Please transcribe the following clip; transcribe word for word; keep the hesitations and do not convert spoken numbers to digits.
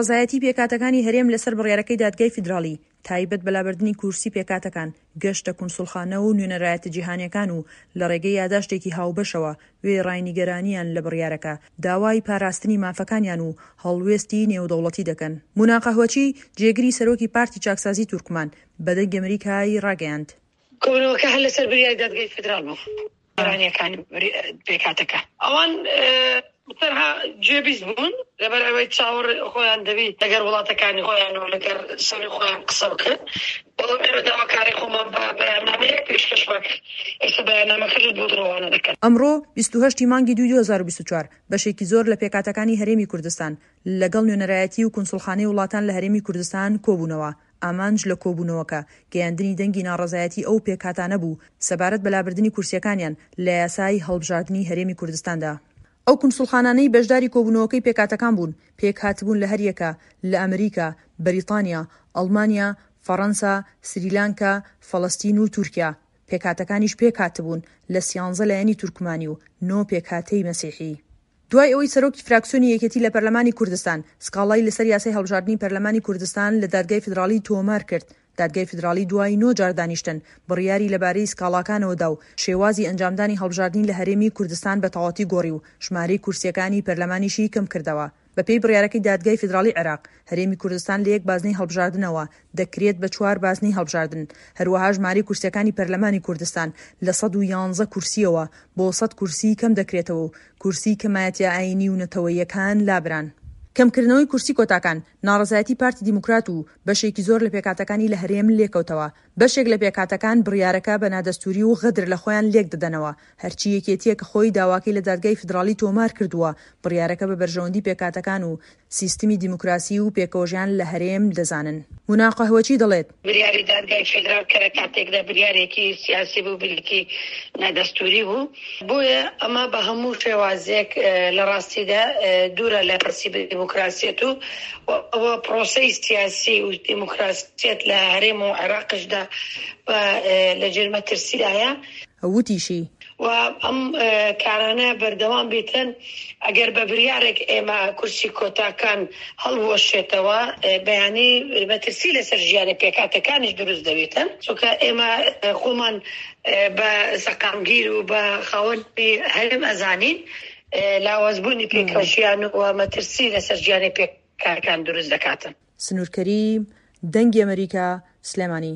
ناڕەزایەتی پێکهاتەکانی هەرێم لەسەر بڕیارەکەی دادگای فیدراڵی تایبەت بە لابردنی کورسی پێکهاتەکان گەشتە کونسوڵخانە و نوێنەرایەتە جیهانیەکان و لە ڕێگەی یاداشتێکی هاوبەشەوە وێڕای نیگەرانیان لە بڕیارەکە داوای پاراستنی مافەکانیان و هەڵوێستی نێودەوڵەتی دەکەن. مونا قەهوەچی، جێگری سەرۆکی پارتی چاکسازی تورکمان، بە دەنگی ئەمریکای ڕاگەیاند. کۆبوونەوەکە هەر لەسەر بریاری دادگای فیدراڵ بوو. گۆرانیەکانی پێکهاتەکە ئەوان تەنها گوێبیست بوون لەبەر ئەوەی چاوەڕ خۆیان دەبی لەگەر وڵاتەکانی خۆیان و لەگەر سەری خۆیان قسە بکەن، بەڵام ئێمە داواکاری خۆمان بە بەیاننامەیەک پێشکەشمان کرد، ئێستا بەیاننامەکەش بۆ ڕەوانە دەکەن. ئەمڕۆ بیست و هەشت ی مانگی دووی دوو هەزار و بیست و چوار بەشێکی زۆر لە پێکهاتەکانی هەرێمی کوردستان لەگەڵ نوێنەرایەتی و کونسوڵخانەی وڵاتان لە هەرێمی کوردستان کۆبوونەوە، ئامانج لە کۆبوونەوەکە گەیاندنی دەنگی ناڕەزایەتی ئەو پێکهاتانە بوو سەبارەت بە لابردنی کورسییەکانیان لە یاسای هەڵبژاردنی هەرێمی کوردستاندا. ئەو کونسوڵخانانەی بەشداری کۆبوونەوەکەی پێکهاتەکان بوون، پێکهاتبوون لە هەریەکە لە ئەمریکا، بەریتانیا، ئەڵمانیا، فەڕەنسا، سریلانکا، فەڵەستین و تورکیا، پێکهاتەکانیش پێکهاتبوون لە سیانزە لایەنی تورکمانی و نۆ پێکهاتەی مەسیحی. دوای ئەوەی سەرۆکی فراکسیۆنی یەکێتی لە پەرلەمانی کوردستان سکاڵای لەسەر یاسای هەڵبژاردنی پەرلەمانی کوردستان لە دادگای فیدراڵی تۆمار کرد، دادگای فیدراڵی دوای نۆ جار دانیشتن بڕیاری لەبارەی سکاڵاکانەوە دا و شێوازی ئەنجامدانی هەڵبژاردنی لە هەرێمی کوردستان بە تەواوەتی گۆڕی و ژمارەی کورسییەکانی پەرلەمانیشی کەمکردەوە. بەپێی بڕیارەکەی دادگای فیدراڵی عێراق، هەرێمی کوردستان لە یەک بازنەی هەڵبژاردنەوە دەکرێت بە چوار بازنەی هەڵبژاردن، هەروەها ژمارەی کورسییەکانی پەرلەمانی کوردستان لە سەد و یانزە کورسییەوە بۆ سەد کورسی کەمدەکرێتەوە و کورسی کەمایەتییە ئایینی و نەتەوەییەکان لابران. کەمکردنەوەی کورسی کۆتاکان، ناڕەزایەتی پارتی دیموکرات و بەشێکی زۆر لە پێکهاتەکانی لە هەرێم لێکەوتەوە، بەشێک لە پێکهاتەکان بڕیارەکە بە نادەستووری و غەدر لە خۆیان لێکدەدەنەوە، هەرچی یەکێتییە کە خۆی داواکەی لە دادگای فیدراڵی تۆمار کردووە، بڕیارەکە بە بەرژەوەندی پێکهاتەکان و سیستمی دیموکراسی و پێکەوەژیان لە هەرێم دەزانن. مونا قەهوەچی دەڵێت. بریاری دادگای فیدراڵ کە لە کاتێکدا بریارێکی سیاسی بوو، بریارێکی نادەستووری بوو، بۆیە ئەمە بە هەموو شێوازێک لە ڕاستیدا دوورە لە پرنسیپی دیموکراسیەت و ئەوە پرۆسەی سیاسی و دیموکراسیەت لە هەرێم و عێراقیشدا لە ژێر مەترسیدایە. وتیشی. و ئەم کارانە بەردەوام بێتن، ئەگەر بە بریارێک ئێمە کورسی کۆتاکان هەڵبوەشێتەوە، بەیانی مەترسی لەسەر ژیانی پێکهاتەکانیش دروست دەبێتن، چونکە ئێمە خۆمان بە سەقامگیر و بە خاوەنی هەرێم ئەزانین، لاوازبوونی پێکەوەژیان و مەترسی لەسەر ژیانی پێکهاتەکان دروست دەکاتن. سنوور کەریم، دەنگی ئەمەریکا، سلێمانی.